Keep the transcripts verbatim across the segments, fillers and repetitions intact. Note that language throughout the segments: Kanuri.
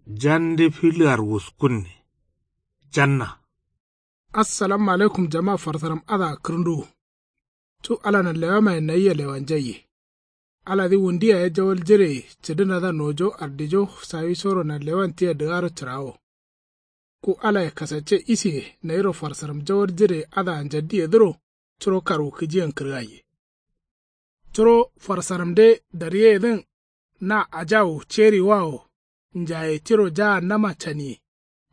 Jande filear wuskunne. Janna. Assalamu alaikum jama farsaram adǝa kǝrǝnduwu. Cu ala nanlewamayen nayia lewanjaiye. Aladǝ wundu yaye jawal jire cǝdǝnadǝa nojo ardijo sawisoro nanlewan tia dǝgaro cǝrawo. Ku alaye kasacce isiye nayiro farsaram jawal jire adǝa njaddiyedǝro curo karwukǝjiyen kǝrgaiye. Curo farsaramde daryeyedǝn na ajawu ceriwawo njaye tiro jahannama caniye.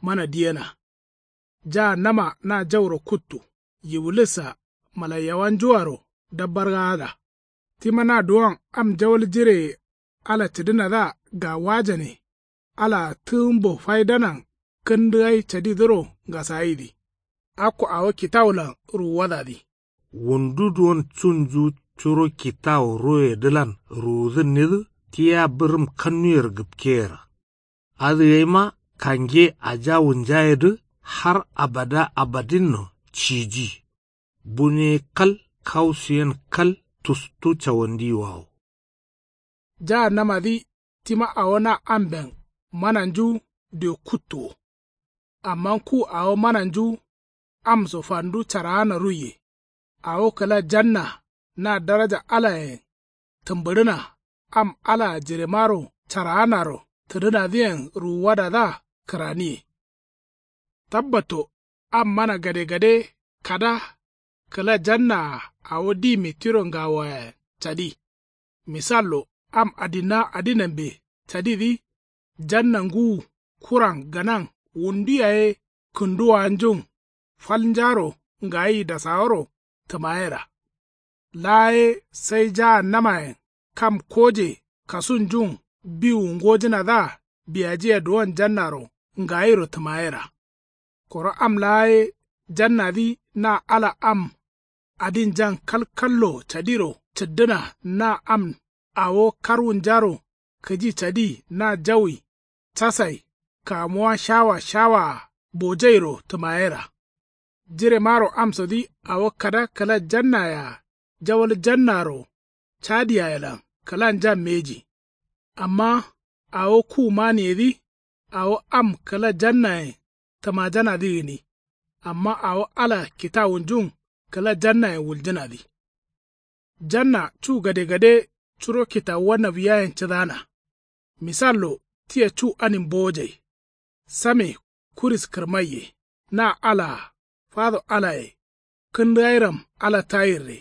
Mana diyena. Jahannama na jauro kuttu. Yiwulis-a malaiyawanjuaro dabbargagada. Tima na duwon am jawal jireye ala cǝdǝnadǝa gawajane. Alaa tǝgǝmbo faidanan kǝndǝgai cadidǝro ngasayidǝ. Akko awo kitawulan ruwuwadadǝ. Wundu duwon cunju curo kitawu royedǝlan ruwudǝnnidǝ tia bǝrǝm kannuyer gǝpkeyera. Adǝ gaima kange ajawunjayedǝ har abada abadinno ciji. Bune kal kausuyen kal tustu cawandiyiwawo. Jahannamadǝ tima awo na amben mananju diyo kuttu wo. Amma ku awo mananju am so fandu caraana ruiye. Awo kǝla janna na daraja alayen tǝmbǝɍǝna am alaa jiremaro caraanaro tǝdǝnadǝyen ruwuwadadǝa kǝraniye. Tabbatto am mana gadegade kada kǝla jannaa awo dime tiro ngawoyayen cadi. Misallo am adinna adinambe cadidǝ janna ngǝwu kuran gǝnan wundu yaye kǝnduwanjun falnjaro ngayi dasaworo tǝmayera. Laa ye sai jahannamayen kam koje kasunjun biwu ngojǝnadǝa biyajiya duwon jannaro ngayiro tǝmayera. Koro am laa ye jannadǝ na ala am adinjan kalkallo cadiro cǝddǝna na am awo karwunjaro kǝji cadi na jawi casai kamuwa shawa shawaa bojairo tǝmayera. Jiremaro amsodǝ awo kada kǝla jannayea jawal jannaro cadiyayelan kǝlanjan mbeji. Amma awo ku maniyedǝ awo am kǝla jannayen tǝmajanadǝ gǝni. Amma awo ala kitawunjun kǝla jannayen wuljǝnadǝ. Janna cu gadegade curo kitawuwa nawiyayen cǝdana. Misallo tia cu anin bowojai. Same kuris kǝrmaiye na alaa fado alaye kǝndǝgairam ala tayirre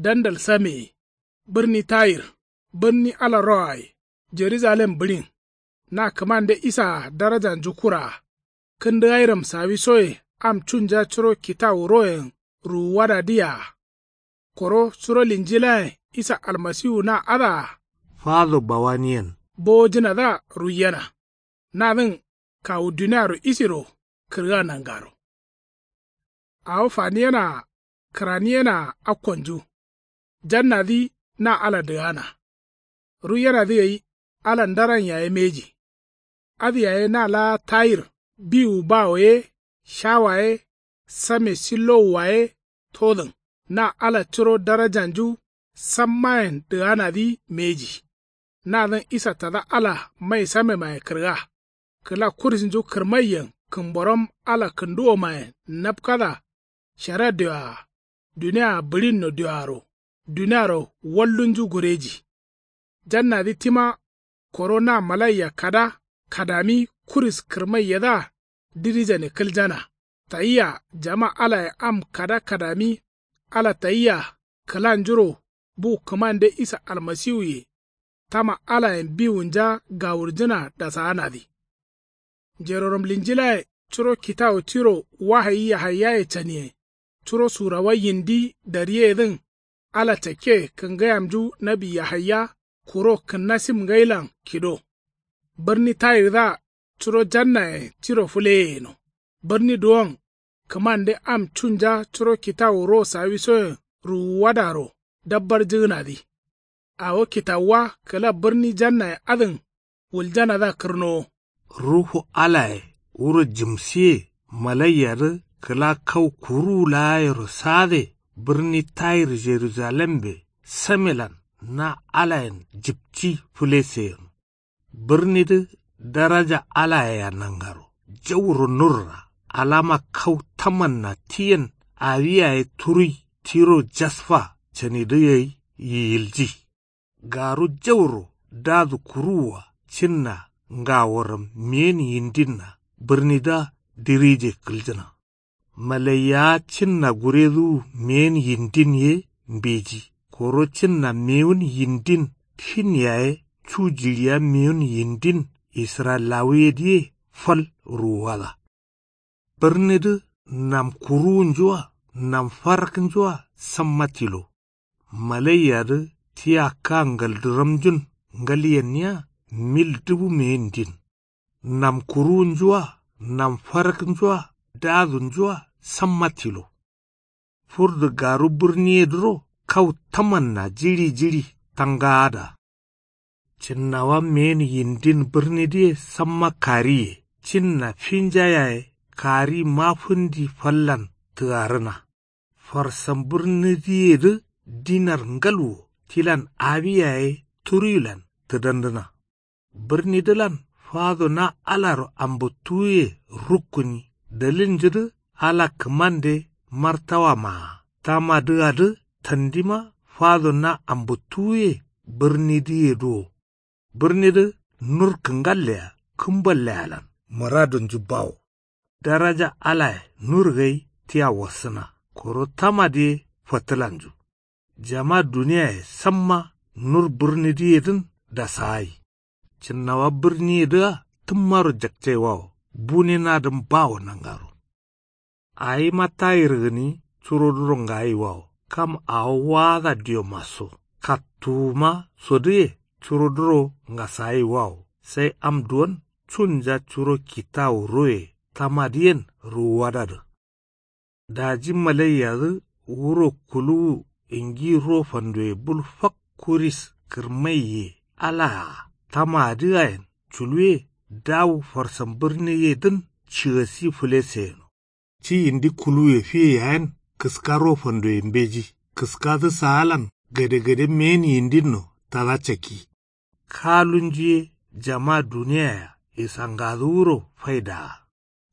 dandal sameye. Bǝrni tayir bǝrni ala roaye jeruzalem bǝɍin. Na kǝmande isaa darajanju kuraa kǝndǝgairam sawisoye am cunja curo kitawu royen ruwuwadadǝyea. Koro curo linjilayen isa almasiwu na adǝa fado bawaniyen bowojǝnadǝa ruiyena. Nadǝn kawu duniaro isiro kǝrga nangaro. Awo faniyenaa kǝraniyenaa akkonju. Jannadǝ na ala dǝgana. Ruiyenadǝ gai ala ndaran yaye mbeji. Adǝ yaye na laa tayir biwu bawo ye shawa ye same sillowua ye todǝn. Na ala curo darajanju sammayen dǝganadǝ mbeji. Nadǝn isa tada ala mai samemaye kǝrga. Kǝla kurisnju kǝrmaiyen kǝmboram ala kǝnduwomayen napkada. Shara dioa duniaa bǝɍinno dioaro duniaro wallunju gureji. Jannadǝ tima koro na malaiya kada kadami kuris kǝrmaiyedǝa dirijane kǝljana. Tayia jama alaye am kada kadami ala tayia kǝlanjuro bu kǝmande isa almasiwuye. Tama alayen biwunja gawurjǝna dasaanadǝ. Njeroram linjilaye curo kitawu tiro wahayi yahaiyaye caniye. Curo surawa yindi daryeyedǝn ala cakke kǝngayamju nawi yahaiya kuro kǝnna sim ngailan kido. Bǝrni tayirdǝa curo jannayen tiro fǝleye yeno. Bǝrni duwon kǝmande am cunja curo kitawu ro sawisoyen ruwuwadaro dabbarjǝgǝnadǝ. Awo kitawuwa kǝla bǝrni jannaye adǝn wuljanadǝa kǝrnowo. Ruhu alaye wuro jǝmsiye malaiyadǝ kǝla kau kuruwu laayero sade bǝrni tayir jerujalembe samelan na alayen jǝpci fǝlese yeno. Bǝrnidǝ Daraja alayea nangaro jauro nurra alama kau tamanna tiyen awi yaye turuyi tiro jasfa canidǝ gai yiyilji. Garu jauro dadu kuruwua cinna ngaworam meyen yindinna bǝrnidǝa dirije kǝljǝna. Malaiyawa cinna guredǝwu meyen yindin ye mbeji koro cinna mewun yindin fin yaye cu jiɍiya mewun yindin israyilawuyedǝye fal ruwuwada. Bǝrnidǝ nam kuruwunju-a nam faraknju-a samma tilo. Malaiyadǝ tia ka ngaldiramjun ngalyenniya mil dubu meyindin. Nam kuruwunju-a nam faraknju-a dadunju-a samma tilo. Furdu garu bǝrniyedǝro kau tamanna jiɍi jiɍi tangaada. Cinnawa meyen yindin bǝrnidǝye samma kariye cinna finja yaye kari mafǝndi fallan tǝgarǝna. Farsan bǝrnidǝyedǝ dinar ngal wo tilan awi yaye turuyilan tǝdandǝna. Bǝrnidǝlan fado na alaro ambǝttuwuye rukkuni dalilnjudǝ ala kǝmande martawa maa tamadǝadǝ tandima fado na ambǝttuwuye bǝrnidǝyedǝ wo. Bǝrnidǝ nur kǝngallea kǝmballealan mǝradunju bawo. Daraja alaye nur gai tia wassǝna koro tamadǝ ye fatǝlanju. Jama duniyaye samma nur bǝrnidǝyedǝn dasagai. Cinnawa bǝrniyedǝa tǝmmaro jakcaiwawo bune nadǝn bawo nangaro. Awima tayir gǝni curoduro ngayiwawo kam awo waada diomaso kattuwuma sodǝye curoduro ngasagayiwawo sai am duwon cunja curo kitawu roye tamadǝyen ruwuwadadǝ. Daji malaiyadǝ wuro kuluwu ingi ro fandoye bul fak kuris kǝrmaiye alaa tamaadǝ ayen culuwe dawu farsan bǝrniyedǝn cigasi fǝlese yeno. Ci yindi kuluwuye fiye yayen kǝska ro fandoye mbeji kǝskadǝ saalan gadegade meyen yindinno tada cakki. Kalunju ye jama duniyaya isangadǝ wuro faidaa.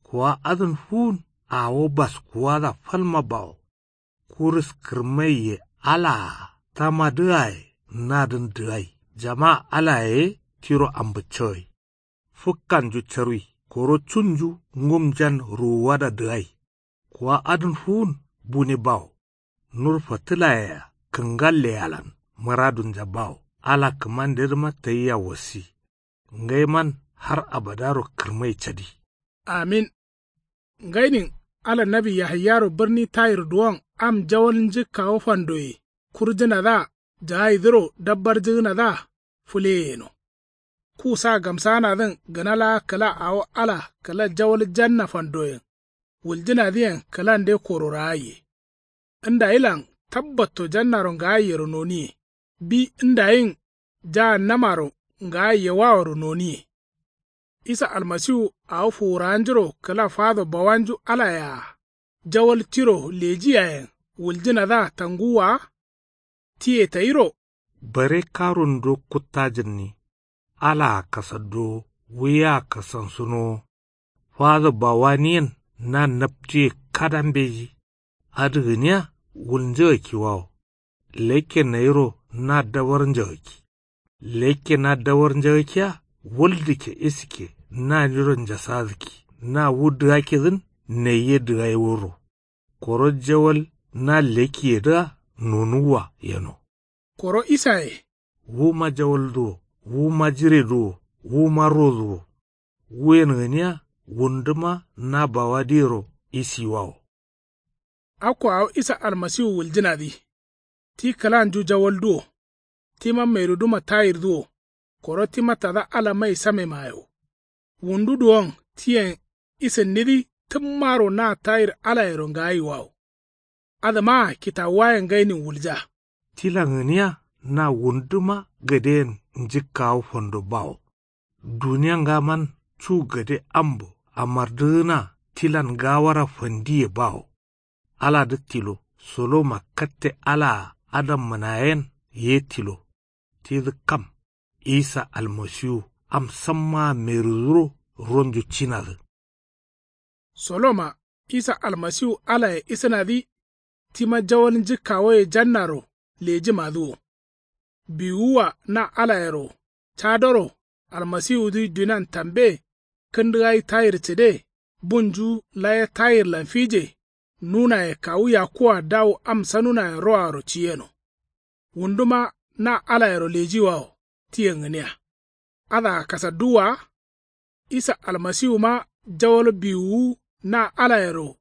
Kuwa adǝn fuwun awo baskuwada falma bawo. Kurus kǝrmaiye alaa tamadǝaye nadǝn dǝgai jama alaye ye tiro ambǝccogai. Fǝkkanju carwi koro cunju ngumjan ruwuwada dǝgai. Kuwa adǝn fuwun bune bawo. Nur fatǝlayea kǝngalleyalan mǝradunja bawo ala kǝmandedǝma tayia wassi. Ngaiman har abadaro kǝrmai cadi. Amin. Ngainin ala nawi yahaiyaro bǝrni tayir duwon am jawal njǝkkawo fandoye kurjǝnadǝa jagaidǝro dabbarjǝgǝnadǝa fǝleye yeno. Ku sa gamsaanadǝn gǝna laa kǝla awo ala kǝla jawal janna fandoyen wuljǝnadǝyen kǝlande kororagai ye. Ndayilan tabbatto jannaro ngagaiyero noniye bi ndayin jahannamaro ngagaiye waworo noniye. Isa almasiwu awo fuwurawanjuro kǝla fado bawanju alayea jawal tiro leji yayen wuljǝnadǝa tanguwwa wa? Tiye tayiro. Bare karunduwo kuttajǝnni alaa kasadduwo wuyea kasansunowo. Fado bawaniyen na naptuye kada mbeji. Adǝ gǝniya wul njagakki wawo. Lekke nayiro na dawar njagakki. Lekke na dawar njagakkiya wul dǝkke isikke naniro njasadǝkki na wu dǝgakkedǝn nai ye dǝgai wuro. Koro jawal na lekkiyedǝa nonuwwa yeno. Koro isaye. Wuma jawaldǝ wo wuma jiredǝ wo wuma rodǝ wo. Wuyen gǝniya wunduma na bawadǝyero isiwawo. Akko awo isa almasiwu wuljǝnadǝ ti kǝlanju jawaldu wo. Tima mairuduma tayirdǝ wo koro tima tada ala mai samemaye wo. Wundu duwon tiyen isǝnnidǝ tǝmmaro na tayir alayero ngagayiwawo. Adǝmaa kitawuwayen ngainin wulja. Tilan gǝniya na wunduma gadeyen njǝkkawo fando bawo. Duniya ngaman cu gade ambo amardǝgǝna tilan gawara fandiye bawo. Aladǝ tilo soloma katte alaa adammǝnayen ye tilo. Tidǝ kam isa almasiwu am sammaa meruduro ronju cinadǝ. Soloma isa almasiwu alaye isǝnadǝ. Tima jawal njǝkkawoye jannaro lejimadǝ wo. Biwuwua na alayero cadoro almasiwudǝ dunan tambe. Kǝndǝ gai tayir cǝde bunju laye tayirlan fije. Nunaye kawu yakkuwa dawu am sanunayen roaro ciyeno. Wunduma na alayero lejiwawo tiyen gǝniya. Adǝa kasadduwwa wa. Isa almasiwuma jawal biwuwu na alayero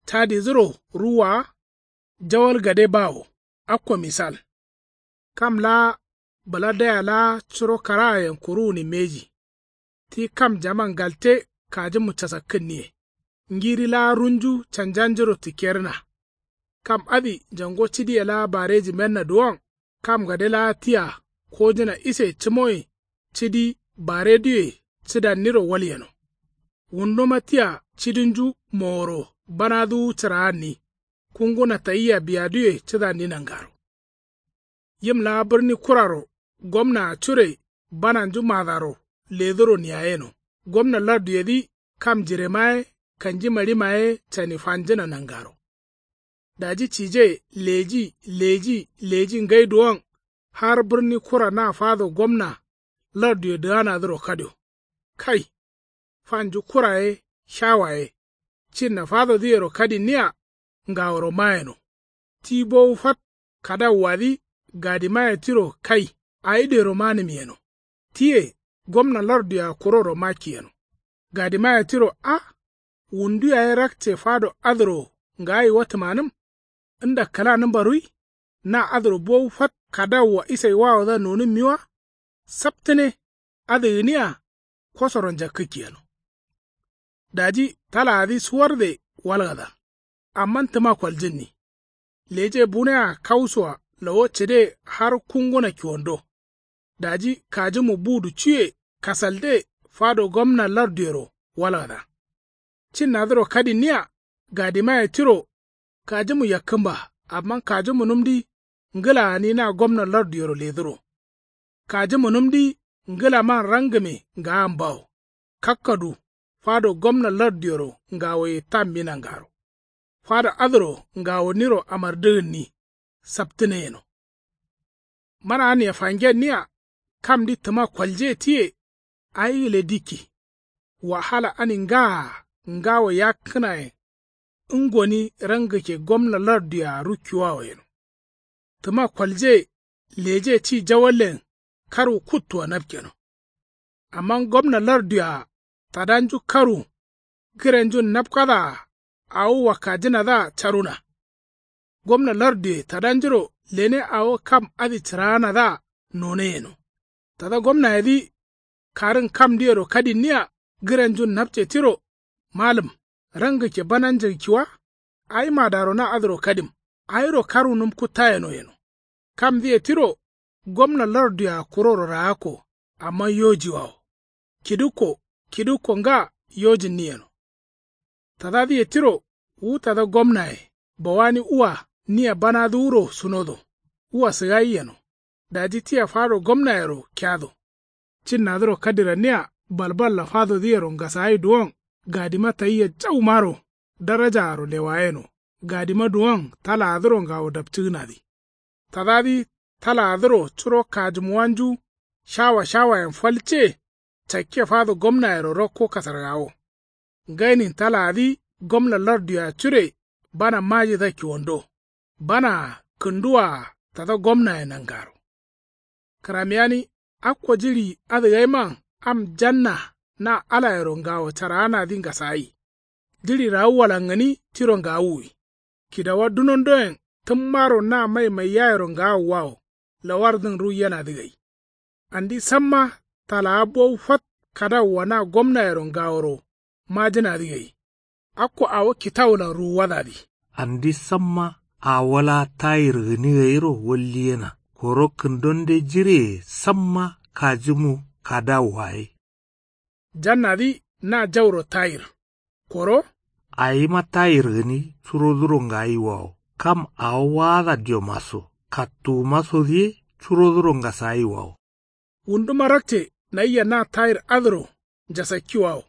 cadidǝro ruwwa wa. Jawal gade bawo. Akko misal. Kam laa bǝladaya laa curo karaayen kuruwuni mbeji. Ti kam jaman galte kajimu casakkǝnniye. Ngiri laa runju canjanjuro tikkerǝna. Kam adǝ jango cidiye laa bareji menna duwon kam gade laa tia kojǝna ise cǝmoye cidi bareduye cǝdanniro walyeno. Wunduma tia cidinju moworo banaduwu cǝraanni. Kunguna tayia biyaduye cǝdanni nangaro. Yim laa bǝrni kuraro gomnaa cure bananju madaro ledǝro niyayeno. Gomna larduyedǝ kam jirema ye kanji marima ye cani fanjǝna nangaro. Daji cije leji leji leji ngai duwon har bǝrni kura na fado gomna larduye dǝganadǝro kadio. Kai. Fanju kura ye shawa ye cinna fadodǝyero kadinniya. Ngaworo mayeno. Ti bowu fat kadawuwadǝ gadimaye tiro kai. Awi dero manǝm yeno. Tiye gomna larduya kuroro makki yeno. Gadimaye tiro a wundu yaye rakce fado adǝro ngayi watǝmanǝm. Nda kǝlanǝmba ruwi. Na adǝro bowu fat kadawuwa isai wawodǝa nonǝmmi wa. Saptǝne adǝ gǝniya. Kosoro njakkǝkki yeno. Daji talaadǝ suwarde walgada. Amma tǝma koljǝnni. Leje bunea kausoa lawo cǝde har kunguna kiwando. Daji kajǝmu budu cuye kasalde fado gomna larduyero walgada. Cinnadǝro kadinniya gadimaye tiro. Kajǝmu yakkǝmba amma kajǝmunǝmdǝ ngǝla gǝni na gomna larduyero ledǝro. Kajǝmunǝmdǝ ngǝlaman rangǝme ngaambawo. Kakkadu fado gomna larduyero ngawoye tammi nangaro. Fado adǝro ngawoniro amardǝgǝnni. Saptǝne yeno. Mana aniye fangenniya. Kamdǝ tǝma kolje tiye. Awi gǝle dikki. Wahala ani ngaa ngawo yakkǝnayen. Ngoni rangǝkke gomna larduye-a rukkiwawo yeno. Tǝma kolje leje ci jawallen karwu kuttua napkeno. Amma gomna larduye-a tadanju karwu gǝrenjun napkada-a awo wakkajǝnadǝa caruna. Gomna larduye tadanjuro lene awo kam adǝ cǝraanadǝa none yeno. Tada gomnayedǝ karǝn kamdǝyero kadinniya gǝrenjun napce tiro. Malǝm rangǝkke bananjǝgǝkki wa. Awi madaro na adǝro kadim. Awiro karwunǝm kuttayeno yeno. Kamdǝye tiro gomna larduye-a kuroro raakko. Amma yojiwawo kidǝkko kidǝkko nga yojǝnni yeno. Tadadǝye tiro wu tada gomnaye bawani ua nia banaduwuro sunodo. Ua sǝgayi yeno. Daji tia fado gomnayero keado. Cinnadǝro kadiranniya balballa fadodǝyero ngasagai duwon gadima tayia jaumaro darajaaro lewayeno. Gadima duwon talaadǝro ngawo dapcǝgǝnadǝ. Tadadǝ talaadǝro curo kajǝmuwanju shawa shawayen falce. Cakke fado gomnayero rakko kasargawo. Ngainin talaadǝ gomna larduye-a cure bana majidakki wando. Banaa kǝnduwaa tada gomnaye nangaro. Kǝramiyani akko jiɍi adǝ gaiman am janna na alayero ngawo caraanadǝ ngasagai. Jiɍi rawuwalan gǝni tiro ngawuwi. Kidawa dunondoyen tǝmmaro na mai maiyayero ngawuwawo lawardǝn ruiyenadǝ gai. Andi samma talaa bowu fat kadawuwa na gomnayero ngaworo majǝnadǝ gai. Akko awo kitawulan ruwuwadadǝ. Andi samma awo laa tayir gǝni gairo walliyena koro kǝndonde jireye samma kajǝmu kadawuwa ye. Jannadǝ na jauro tayir koro. Awima tayir gǝni curoduro ngayiwawo kam awo waada diomaso kattuwumasodǝ ye curoduro ngasayiwawo. Wunduma rakce Nayia na tayir adǝro njasakkiwawo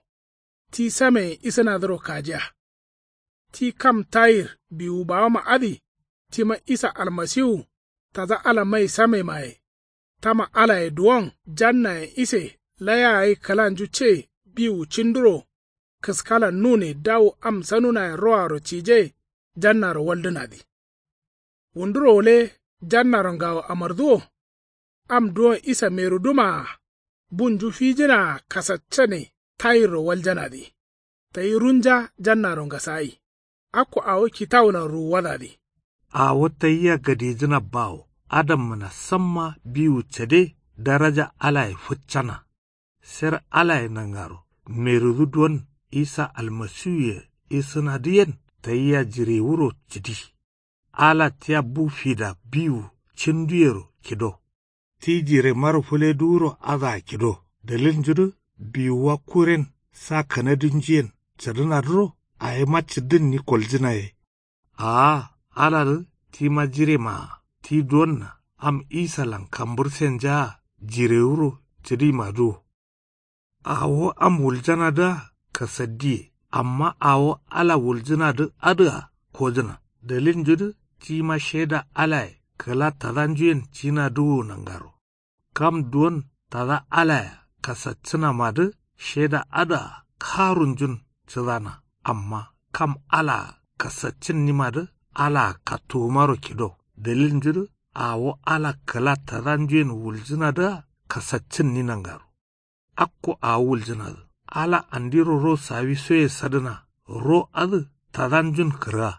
ti sameyen isǝnadǝro kajiya. Ti kam tayir biwu bawama adǝ tima isa almasiwu tada ala mai samemaye. Tama alaye duwon jannayen ise laya gai kǝlanju ce biwu cinduro kǝskalan nune dawu am sanunayen roaro cije jannaro waldǝnadǝ. Wunduro wule jannaro ngawo amarduwo. Am duwon isa merudumaa bunju fijǝnaa kasaccane tayirro waljanadǝ. Tayi runja jannaro ngasagai. Akko awo kitawulan ruwuwadadǝ. Awo tayia gadijǝna bawo adammǝna samma biwu cade daraja alaye fǝccana. Ser alaye nangaro merudu duwon isa almasiwuye isǝnadǝyen tayia jirewuro cǝdi. Ala tia bu fida biwu cinduyero kido. Ti jiremaro fǝleduwuro adǝa kido dalilnjudǝ biwuwa kuren sa kanadinjuyen cǝdǝnadǝro awima cǝddǝnni koljǝnaye. Aa aladǝ tima jiremaa ti duwonna am isalan kambǝrsenjaa jirewuro cǝdimadǝwo. Awo am wuljanadǝa kasaddiye amma awo ala wuljǝnadǝ adǝa kojǝna. Dalilnjudǝ tima sheda alaye kǝla tadanjuyen cinadǝwo nangaro. Kam duwon tada alaya kasaccǝnamadǝ sheda adǝa karunjun cǝdana. Amma kam alaa kasaccǝnnimadǝ alaa kattuwumaro kido. Dalilnjudǝ awo ala kǝla tadanjuyen wuljǝnadǝa kasaccǝnni nangaro. Akko awo wuljǝnadǝ ala andiro ro sawisoye sadǝna. Ro adǝ tadanjun kǝrga.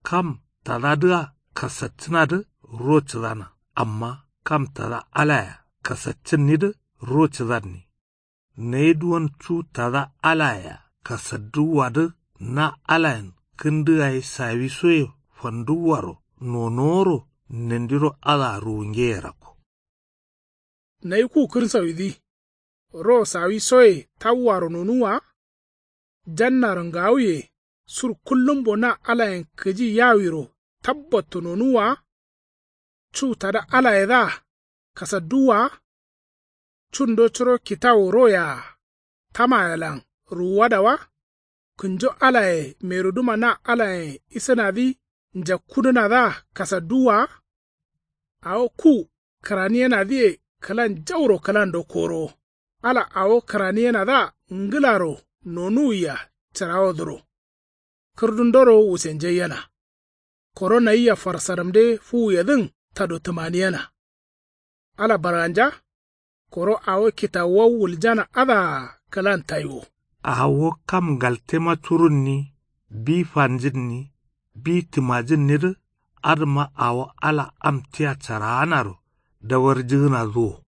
Kam tadadǝa kasaccǝnadǝ ro cǝdana. Amma kam tada alaya kasaccǝnnidǝ ro cǝdanni. Nayi duwon cu tada alayea kasadduwwadǝ na alayen kǝndǝ gai sawisoye fanduwwaro nonoworo nandiro adǝa ruwungeye rakko. Nayi ku kǝrsawidǝ ro sawisoye tawwaro nonuwwa. Jannaro ngawuye sur kullumbo na alayen kǝji yawiro tabbatto nonuwwa. Cu tada alayedǝa kasadduwwa. Cundo curo kitawu royea tamayelan ruwuwada wa. Kǝnjo alaye meruduma na alayen isǝnadǝ njakkudǝnadǝa kasadduwwa. Awo ku kǝraniyenadǝye kǝlan jauro kǝlando korowo. Ala awo kǝraniyenadǝa ngǝlaro nonuwia cǝrawodǝro kǝrdundoro wusenjaiyena. Koro nayia farsaramde fuwuyedǝn tado tǝmaniyena. Ala barganja koro awo kitawuwa wuljana adǝa kǝlan taiwo. Awo kam ngaltema curunni bi fanjǝnni bi tǝmajǝnnidǝ adǝma awo ala am tia caraanaro dawarjǝgǝnadǝ wo.